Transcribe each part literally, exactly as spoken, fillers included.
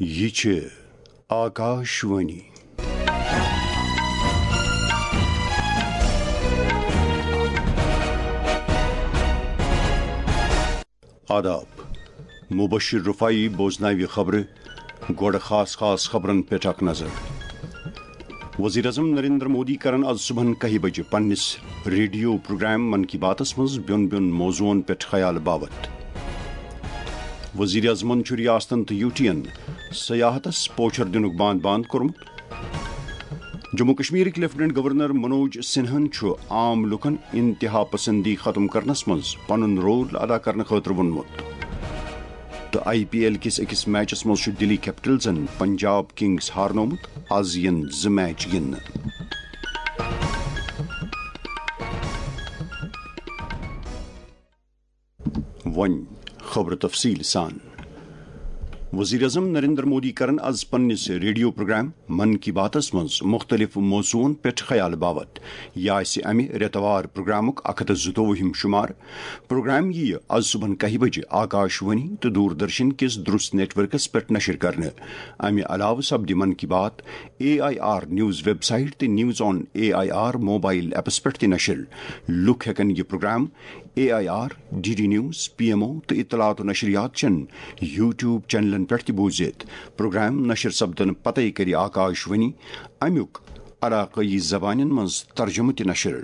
یہِ چھِ آکاشوانی۔ آداب۔ مبشر رفاعی بوزناوِ خبرٕ۔ گۄڈٕ خاص خاص خبرن پٮ۪ٹھ اکھ نظر۔ وزیر اعظم نریندر مودی کرن از صبحن کاہہِ بجہِ پننِس ریڈیو پروگرام من کی باتس منٛز بیوٚن بیوٚن موضوعن پٮ۪ٹھ خیال باوت۔ وزیر اعظمن چھُ ریاستن تہٕ یوٗٹین سیاحتس پوچھر دِنُک باند باند کوٚرمُت۔ جموں کشمیرٕکۍ لیفٹیننٹ گورنر منوج سنہن چھُ عام لوٗکن انتہا پسندی ختم کرنس منٛز پنُن رول ادا کرنہٕ خٲطرٕ ووٚنمُت۔ تہٕ آئی پی ایل کِس أکِس میچس منٛز چھُ دِلی کیپٹلزن پنجاب کنگز ہارنومُت۔ از یِن زٕ میچ گِنٛدنہٕ۔ وۄنۍ خبرٕ تفصیٖل سان۔ وزیر اعظم نریندر مودی کرن از پننِس ریڈیو پروگرام من کی باتس منٛز مختلف موضوعن پٮ۪ٹھ خیال باوت۔ یہِ آسہِ امہِ رٮ۪تہٕ وار پروگرامُک اکھ ہتھ تہٕ زٕتووُہِم شمار۔ پروگرام یِیہِ از صبحن کاہہِ بجہِ آکاشوانی تہٕ دوردرشن کِس درست نیٹ ورکس پٮ۪ٹھ نشر کرنہٕ۔ امہِ علاوٕ سپدِ Mann Ki Baat A I R news website تہٕ news on A I R mobile apps پٮ۪ٹھ تہِ نشر۔ لوٗکھ ہٮ۪کن یہِ programme A I R, D D news, P M O تہٕ اطلاعات و نشریات چٮ۪ن یوٹیوب چینلن پٮ۪ٹھ تہِ بوٗزِتھ۔ پروگرام نشر سپدنہٕ پتے کرِ آکاشوانی امیُک علاقٲیی زبانن منٛز ترجمہٕ تہِ نشر۔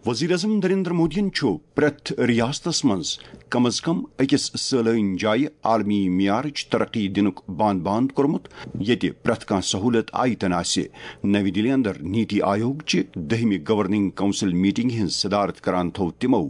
وزیر اعظم نریندر مودیَن چھُ پرٛٮ۪تھ ریاستس منٛز کم از کم أکِس سٲلٲنۍ جایہِ عالمی معیارٕچ ترقی دِنُک باند باند کوٚرمُت، ییٚتہِ پرٛٮ۪تھ کانٛہہ سہوٗلت آیتن آسہِ۔ نَوِ دِلہِ اندر نیتی آیوگ چہِ دٔہمہِ گورننگ کونسل میٹنگ ہٕنٛز صدارت کران تھوٚو تِمو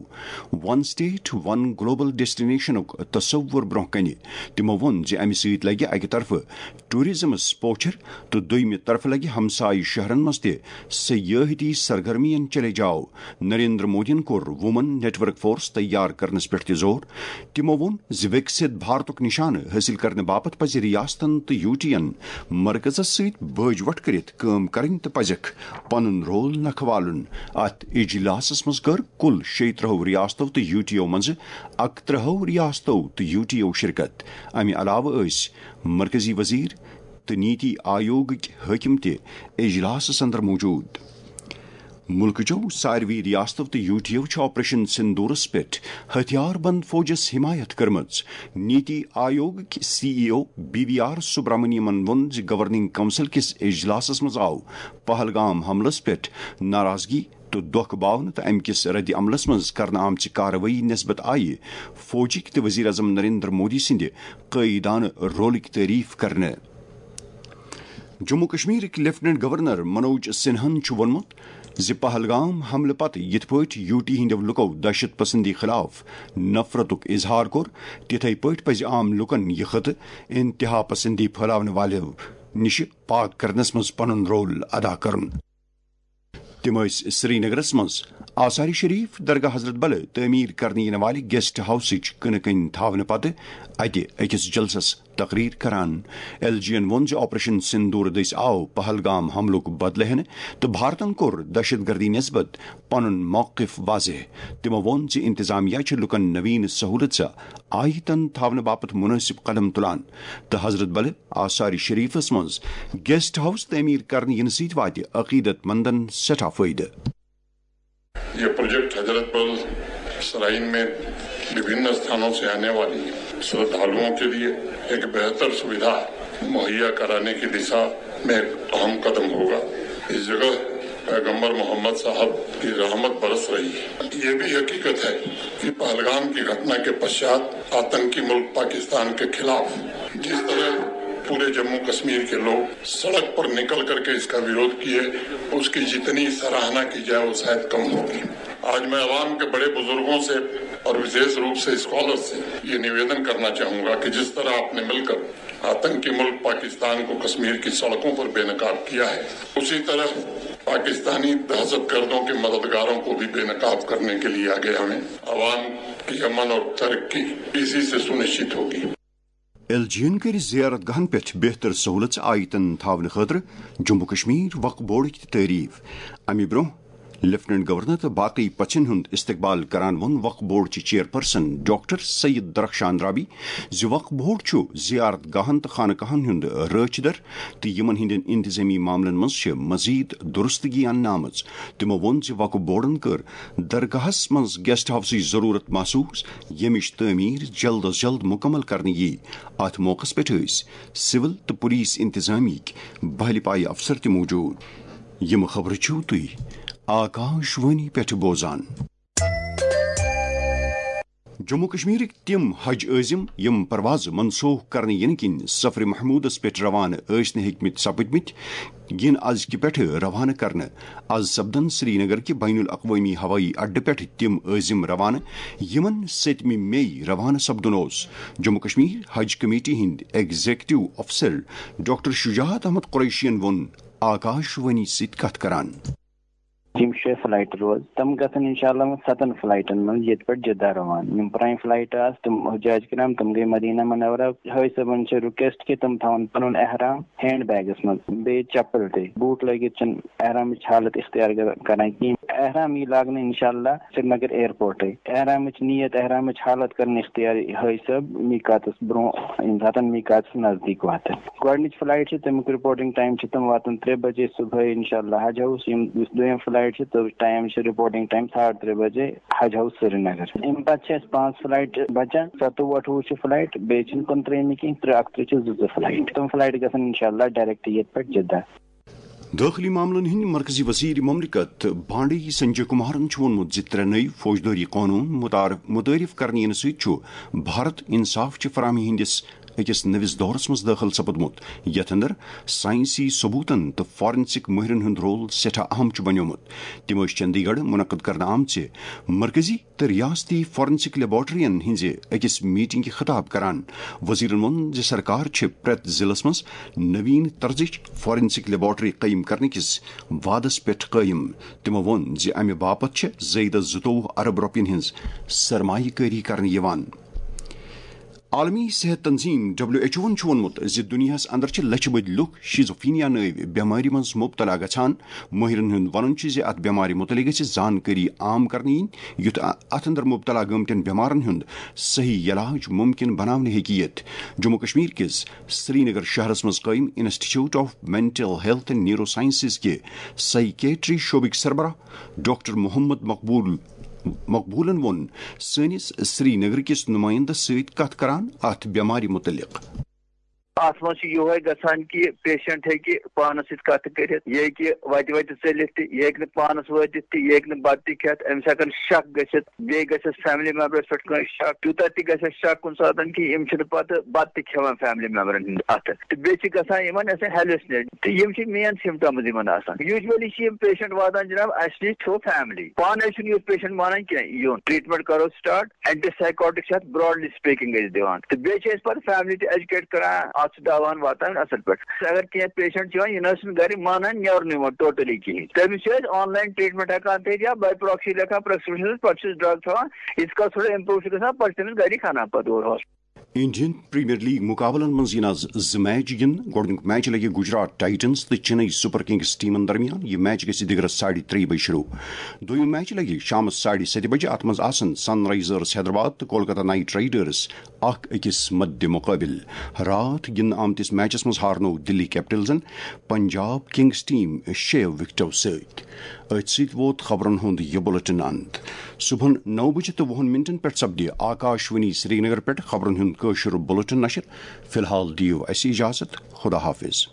ون اسٹیٹ ون گلوبل ڈیسٹینیشنُک تصور برونٛہہ کنہِ۔ تِمو ووٚن زِ امہِ سۭتۍ لگہِ اکہِ طرفہٕ ٹورازمس پوچھر تہٕ دوٚیمہِ طرفہٕ لگہِ ہمسایہِ شہرن منٛز تہِ سیاحتی سرگرمین چلے جاو۔ نریندر مودیَن کوٚر وومن نیٹ ورک فورس تیار کرنس پٮ۪ٹھ تہِ زور۔ تِمو ووٚن زِ وِکسِت بھارتُک نشانہٕ حٲصِل کرنہٕ باپتھ پزِ ریاستن تہٕ یوٗٹین مرکزس سۭتۍ بٲج وٹھ کٔرِتھ کٲم کرٕنۍ تہٕ پزٮ۪کھ پنُن رول نکھٕ والُن۔ اتھ اجلاسس منٛز کٔر کُل شیٚیہِ ترٕٛہو ریاستو تہٕ یوٗٹیو منٛزٕ اکترٕٛہو ریاستو تہٕ یوٗٹیو شرکت۔ امہِ علاوٕ ٲسۍ مرکزی وزیر تہٕ نیتی آیوگٕکۍ حٲکِم تہِ اجلاسس اندر موجود۔ مُلکٕچو ساروٕے ریاستو تہٕ یوٗٹیو چھِ آپریشن سندورس پٮ۪ٹھ ہتھیار بند فوجس حمایت کٔرمٕژ۔ نیتی آیوگٕکۍ C E O B V R سبرامنیمن ووٚن زِ گورننگ کونسل کِس اجلاسس منٛز آو پہلگام حملس پٮ۪ٹھ ناراضگی تہٕ دۄکھ باونہٕ تہٕ امہِ کِس رد عملس منٛز کرنہٕ آمژِ کاروٲیی نسبت آیہِ فوجٕکۍ تہٕ وزیر اعظم نریندر مودی سٕنٛدِ قٲیدانہٕ رولٕکۍ تعریف کرنہٕ۔ جموں کشمیرٕکۍ لیفٹیننٹ گورنر منوج سنہاہن چھُ ووٚنمُت زِ پہلگام حملہٕ پتہٕ یِتھ پٲٹھۍ یوٗ ٹی ہٕنٛدیو لُکو دہشت پسندی خلاف نفرتُک اظہار کوٚر، تِتھے پٲٹھۍ پزِ عام لوٗکن یہِ خطہٕ انتہا پسندی پھٲلاونہٕ والٮ۪و نِش پاک کرنس منٛز پنُن رول ادا کرُن۔ تِم ٲسۍ سرینگرس منٛز آثار شریف درگاہ حضرت بلہٕ تعمیٖر کرنہٕ یِنہٕ والہِ گیسٹ ہاؤسٕچ کٕنہٕ کٔنۍ تھاونہٕ پتہٕ اتہِ أکِس جلسس تقریر کران۔ ایل جی ین ووٚن زِ آپریشن سندور دٔسۍ آو پہلگام حملُک بدلہٕ ہینہٕ تہٕ بھارتن کوٚر دہشت گردی نسبت پنُن موقف واضح۔ تِمو ووٚن زِ انتظامیہ چھِ لوٗکن نوین سہولژ آیتن تھاونہٕ باپتھ مناسب قدم تُلان تہٕ حضرت بلہٕ آثار شریفس منٛز گیسٹ ہاؤس تعمیٖر کرنہٕ یِنہٕ سۭتۍ واتہِ عقیدت مندن سٮ۪ٹھاہ فٲیدٕ۔ یہ پروجیکٹ حضرت بل سرائن میں وبھن استھانوں سے آنے والی شردھالوؤں کے لیے ایک بہتر سویدھا مہیا کرانے کی دشا میں ایک اہم قدم ہوگا۔ اس جگہ پیغمبر محمد صاحب کی رحمت برس رہی ہے۔ یہ بھی حقیقت ہے کہ پہلگام کی گھٹنا کے پشچات آتنکی ملک پاکستان کے خلاف جس طرح پورے جموں کشمیر کے لوگ سڑک پر نکل کر کے اس کا ویرودھ کیے، اس کی جتنی سراہنا کی جائے وہ شاید کم ہوگی۔ آج میں عوام کے بڑے بزرگوں سے اور وشیش روپ سے اسکالر سے یہ نویدن کرنا چاہوں گا کہ جس طرح آپ نے مل کر آتنکی ملک پاکستان کو کشمیر کی سڑکوں پر بے نقاب کیا ہے، اسی طرح پاکستانی دہشت گردوں کے مددگاروں کو بھی بے نقاب کرنے کے لیے آگے آئیں۔ عوام کی امن اور ترقی اسی سے سنشچت ہوگی۔ ایل جی ین کٔرۍ زیارت گاہن پٮ۪ٹھ بہتر سہولژ آیتن تھاونہٕ خٲطرٕ جموں کشمیر وقف بورڈٕکۍ تہِ تعریف۔ امہِ برونٛہہ لیفٹیننٹ گورنر تہٕ باقٕے پژھن ہُنٛد استقبال کران ووٚن وقف بورڈ چہِ چیئرپرسن ڈاکٹر سید درخشان رابی زِ وقف بورڈ چھُ زیارت گاہن تہٕ خانقاہن ہُنٛد رٲچھ در تہٕ یِمن ہٕنٛدٮ۪ن انتظٲمی معاملن منٛز چھِ مزید درستگی اننہٕ آمٕژ۔ تِمو ووٚن زِ وقف بورڈن کٔر درگاہس منٛز گیسٹ ہاؤسٕچ ضروٗرت محسوس، ییٚمِچ تعمیٖر جلد از جلد مکمل کرنہٕ یِیہِ۔ اتھ موقعس پٮ۪ٹھ ٲسۍ سول تہٕ پولیس انتظامیہٕکۍ بہلہِ پایہِ افسر تہِ موجود۔ یِم خبرٕ چھِو تُہۍ آکاش وانی پٮ۪ٹھ بوزان۔ جموں کشمیرٕکۍ تِم حج عٲزم یِم پروازٕ منسوخ کرنہٕ یِنہٕ کِنۍ سفر محمودس پٮ۪ٹھ روانہٕ ٲسۍ نہٕ ہیٚکمٕتۍ سپٕدمٕتۍ، یِن ازکہِ پٮ۪ٹھٕ روانہٕ کرنہٕ۔ از سپدن سرینگر کہِ بین الاقوٲمی ہوٲیی اڈٕ پٮ۪ٹھ تِم عٲزم روانہٕ، یِمن ستمہِ مئی روانہٕ سپدُن اوس۔ جموں کشمیر حج کمیٹی ہٕنٛدۍ ایگزیکٹو افسر ڈاکٹر شجاعت احمد قریشین ووٚن آکاش وانی سۭتۍ کتھ کران۔ یِم شےٚ فلایٹہٕ روز، تِم گژھن انشاءاللہ وۄنۍ ستن فلایٹن منٛز ییٚتہِ پٮ۪ٹھ جدہ روان۔ یِم پرٛانہِ فلایٹہٕ آسہٕ، تِم حجاج کرام، تِم گٔے مدینہ منورہ۔ حٲج صٲبن چھِ ریکویسٹ کہِ تِم تھاون پنُن احرام ہینڈ بیگس منٛز، بیٚیہِ چپل تہِ۔ بوٗٹ لٲگِتھ چھِنہٕ احرامٕچ حالت اختیار کر-، کران کِہیٖنۍ۔ احرام یی لاگنہٕ انشاءاللہ سرینگر ایئرپورٹے۔ احرامٕچ نیت، احرامٕچ حالت کرن اختیار حٲج صٲب میقاتس برونٛہہ، ییٚمہِ ساتن میقاتس نزدیٖک واتن۔ گۄڈٕنِچ فلایٹ چھِ، تَمیُک رپورٹنگ ٹائم چھِ، تِم واتن ترٛےٚ بجے صبحٲے انشاءاللہ حج ہاؤس۔ یِم، یُس دوٚیِم فلایٹ چھِ، تہٕ ٹائم چھِ رپورٹنگ ٹائم ساڑٕ ترٛےٚ بجے حج ہاؤس سرینگر۔ اَمہِ پتہٕ چھِ اَسہِ پانٛژھ فلایٹ بچان، ستووُہ اَٹھووُہ چھِ فلایٹ، بیٚیہِ چھِنہٕ کُنترٛہمہِ کینٛہہ، ترٛےٚ اَکترٛہ چھِ زٕ زٕ فلایٹ۔ تِم فلایٹ گژھن انشاءاللہ ڈائریکٹ ییٚتہِ پٮ۪ٹھ جدہ۔ دٲخلی معاملن ہٕنٛدۍ مرکزی وزیر مملکت بانڈی سنجے کمارن چھُ ووٚنمُت زِ ترٛےٚ نٔوۍ فوجدٲری قونوٗن متعارف، متعارف کرنہٕ یِنہٕ سۭتۍ چھُ بھارت انصاف چہِ فراہمی ہٕنٛدِس أکِس نٔوِس دورس منٛز دٲخل سپُدمُت، یتھ اندر ساینسی ثبوتن تہٕ فارنسک مٲہرن ہُنٛد رول سٮ۪ٹھاہ اہم چھُ بنیومُت۔ تِم ٲسۍ چندی گڑھ منعقد کرنہٕ آمژِ مرکزی تہٕ ریاستی فارنسک لیبارٹرین ہٕنٛزِ أکِس میٹنگہِ خطاب کران۔ وزیرن ووٚن زِ سرکار چھِ پرٛٮ۪تھ ضلعس منٛز نوین طرزٕچ فارنسک لیبارٹری قٲیِم کرنہٕ کِس وعدس پٮ۪ٹھ قٲیِم۔ تِمو ووٚن زِ امہِ باپتھ چھِ زٲیدٕ زٕتووُہ ارب رۄپین ہٕنٛز سرمایہ کٲری کرنہٕ یِوان۔ عالمی صحت تنظیم ڈبلیو ایچ اوَن چھُ ووٚنمُت زِ دُنیاہَس اندر چھِ لَچھِ بٔدۍ لُکھ شیزوفینیا نٲوۍ بٮ۪مارِ منٛز مُبتلا گژھان۔ مٲہرَن ہُنٛد وَنُن چھُ زِ اَتھ بٮ۪مارِ مُتعلِق گژھِ زانکٲری عام کرنہٕ یِنۍ، یُتھ اَ-، اَتھ اندر مُبتلا گٔمتٮ۪ن بٮ۪مارَن ہُنٛد صحیح علاج مُمکِن بناونہٕ ہیٚکہِ یِتھ۔ جموں کشمیر کِس سرینگر شہرَس منٛز قٲیِم institute of mental health and neuro sciences کہِ سائیکیٹری شعبٕکۍ سربراہ ڈاکٹر محمد مقبول، مقبولن ووٚن سٲنِس سرینگر کِس نُمٲیندَس سۭتۍ کتھ کران اتھ بٮ۪مارِ مُتعلق۔ اتھ منٛز چھُ یِہوے گژھان کہِ پیشنٹ ہیٚکہِ پانس سۭتۍ کتھ کٔرِتھ، یہِ ہیٚکہِ وتہِ وتہِ ژٔلِتھ تہِ، یہِ ہیٚکہِ نہٕ پانس وٲتِتھ تہِ، یہِ ہیٚکہِ نہٕ بتہٕ تہِ کھٮ۪تھ، أمِس ہٮ۪کن شک گٔژھِتھ، بیٚیہِ گژھٮ۪س فیملی ممبرس پٮ۪ٹھ کٲنٛسہِ شک، تیوٗتاہ تہِ گژھٮ۪س شک کُنہِ ساتن کہِ یِم چھِنہٕ پتہٕ بتہٕ تہِ کھٮ۪وان فیملی ممبرن ہٕنٛدِ اتھٕ۔ تہٕ بیٚیہِ چھِ گژھان یِمن اَسہِ ہیلوسنیٹ، تہٕ یِم چھِ مین سمپٹمز یِمن آسان۔ یوٗجولی چھِ یِم پیشنٹ واتان جناب اَسہِ نِش تھرو فیملی، پانے چھُنہٕ یُتھ پیشنٹ مانان کینٛہہ یُن۔ ٹریٹمنٹ کرو سٹارٹ، اینٹی سائیکوٹک چھِ اتھ براڈلی سپیکنگ أسۍ دِوان، تہٕ بیٚیہِ چھِ أسۍ پتہٕ فیملی تہِ ایجوکیٹ کران، اتھ چھُ دوا واتان اصل پٲٹھۍ۔ اگر کینٛہہ پیشنٹ چھِ یِوان، یہِ نہ حظ چھُنہٕ گرِ مانان نیرُن یِمن ٹوٹلی کِہیٖنۍ، تٔمِس چھِ أسۍ آن لاین ٹریٹمنٹ ہٮ۪کان تھٲیِتھ یا باے پراکسی لیکھان پرسکرپشن، پتہٕ چھِ أسۍ ڈرگ تھاوان، ییٖتِس کالس تھوڑا امپروو چھُ گژھان، پتہٕ چھِ تٔمِس گرِ کھنان پتہٕ اورٕ ہاسپٹل۔ انڈین پریمیئر لیگ مقابلن منٛز یِن آز زٕ میچ گِنٛدنہٕ۔ گۄڈٕنیُک میچ لگہِ گجرات ٹائٹنز تہٕ چنئی سپر کنگز ٹیمن درمیان۔ یہِ میچ گژھِ دِگرس ساڑِ ترٛیٚیہِ بجہِ شروع۔ دوٚیُم میچ لگہِ شامس ساڑِ ستہِ بجہِ۔ اتھ منٛز آسن سن رائزرز حیدرآباد تہٕ کولکتہ نائٹ رائیڈرز اکھ أکِس مدِ مقابل۔ راتھ گِنٛدنہٕ آمتِس میچس منٛز ہارنوو دِلی کیپٹلزن پنجاب کنگز ٹیم شیٚیو وکٹو سۭتۍ۔ أتھۍ سۭتۍ ووت خبرن ہُنٛد یہِ بُلٹن اند۔ صبحن نو بجہِ تہٕ وُہن منٹن پٮ۪ٹھ سپدِ آکاش وانی سرینگر پٮ۪ٹھ خبرن ہُنٛد کٲشُر بُلٹن نشر۔ فی الحال دِیِو اَسہِ اجازت۔ خدا حافظ۔